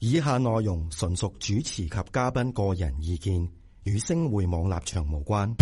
以下內容純屬主持及嘉賓個人意見，與星匯網立場無關。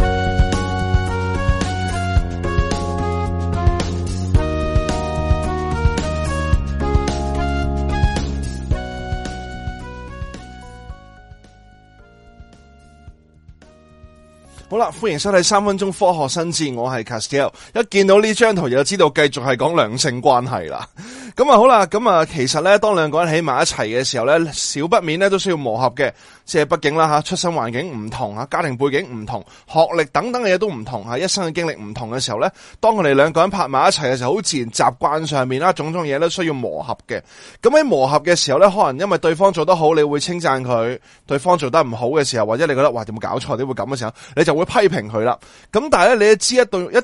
好啦，歡迎收睇3分鐘科學新知，我係 Castiel。一見到呢張圖就知道繼續係講兩性關係啦。咁啊好啦，咁啊其實咧，當兩個人喺埋一齊嘅時候咧，少不免咧都需要磨合嘅。即係畢竟啦吓，出身環境唔同吓，家庭背景唔同，學歷等等嘅嘢都唔同吓，一生嘅經歷唔同嘅時候咧，當佢哋兩個人拍埋一齊嘅時候，好自然習慣上面啦，種種嘢都需要磨合嘅。咁喺磨合嘅時候咧，可能因為對方做得好，你會稱讚佢；對方做得唔好嘅時候，或者你覺得哇，有冇搞錯？點會咁嘅時候，你就會批評佢啦。咁但係咧，你都知一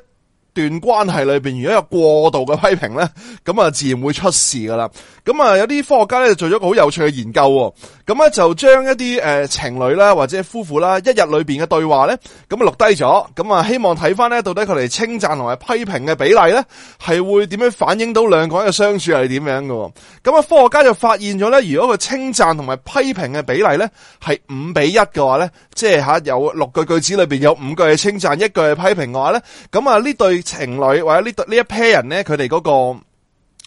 段關係裏邊，如果有過度嘅批評咧，咁啊自然會出事噶啦。咁啊有啲科學家咧就做咗個好有趣嘅研究，咁咧就將一啲情侶啦或者夫婦啦一日裏邊嘅對話咧，咁啊錄低咗，咁啊希望睇翻咧到底佢哋稱讚同埋批評嘅比例咧係會點樣反映到兩個人嘅相處係點樣嘅。咁啊科學家就發現咗咧，如果佢稱讚同埋批評嘅比例咧係5:1嘅話咧，即係吓有6句句子裏邊有5句係稱讚，1句係批評嘅話咧，咁啊呢對情侶或者呢一 pair 人咧，佢哋嗰個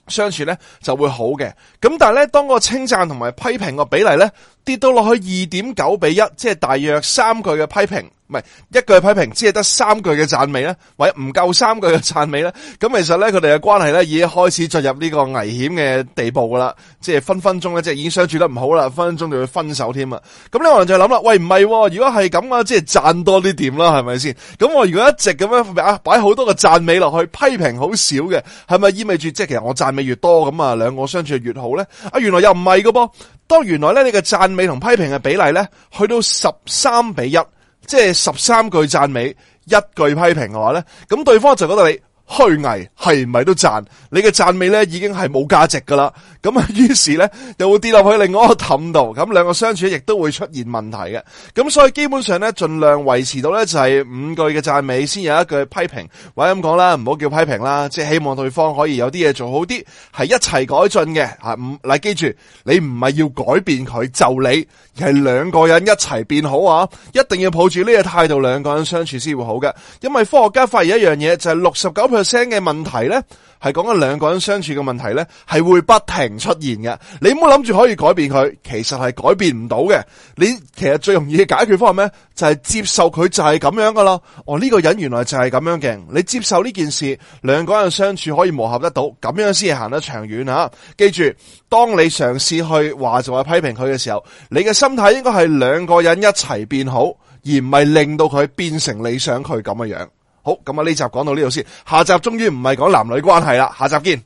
相處咧就會好嘅。咁但係咧，當個稱讚同埋批評個比例咧跌到落去2.9:1，即係大約3句嘅批評，唔係1句嘅批評，只係得3句嘅讚美咧，或者唔夠3句嘅讚美咧，咁其實咧佢哋嘅關係咧已經開始進入呢個危險嘅地步噶啦，即係分分鐘咧即係已經相處得唔好啦，分分鐘就要分手添啊！咁呢個人就諗啦，喂唔係，如果係咁啊，即係讚多啲點啦，係咪先？咁我如果一直咁樣擺好多個讚美落去，批評好少嘅，係咪意味住即係其實我讚美越多咁啊，兩個相處越好咧？啊，原來又唔係噶噃，當原來咧你嘅讚美同批評嘅比例咧去到13:1。即係13句讚美，1句批評嘅話咧，咁對方就覺得你虛偽，係唔係都讚？你嘅讚美咧已經係冇價值噶啦，咁啊於是咧又會跌落去另外一個氹度，咁兩個相處亦都會出現問題嘅。咁所以基本上咧盡量維持到咧就係5句嘅讚美，先有1句批評，或者咁講啦，唔好叫批評啦，即係希望對方可以有啲嘢做好啲，係一齊改進嘅吓。嗱，記住你唔係要改變佢就你，而係兩個人一齊變好啊！一定要抱住呢個態度，兩個人相處先會好嘅。因為科學家發現一樣嘢，就係69%嘅問題咧，係講緊兩個人相處嘅問題咧，係會不停出現嘅。你唔好諗住可以改變佢，其實係改變唔到嘅。你其實最容易嘅解決方法咩？就係接受佢就係咁樣噶啦。呢個人原來就係咁樣嘅。你接受呢件事，兩個人相處可以磨合得到，咁樣先係行得長遠啊！記住，當你嘗試去話就係批評佢嘅時候，你嘅心態應該係兩個人一齊變好，而唔係令到佢變成你想佢咁嘅樣。好，咁啊呢集講到呢度先，下集終於唔係講男女關係啦，下集見。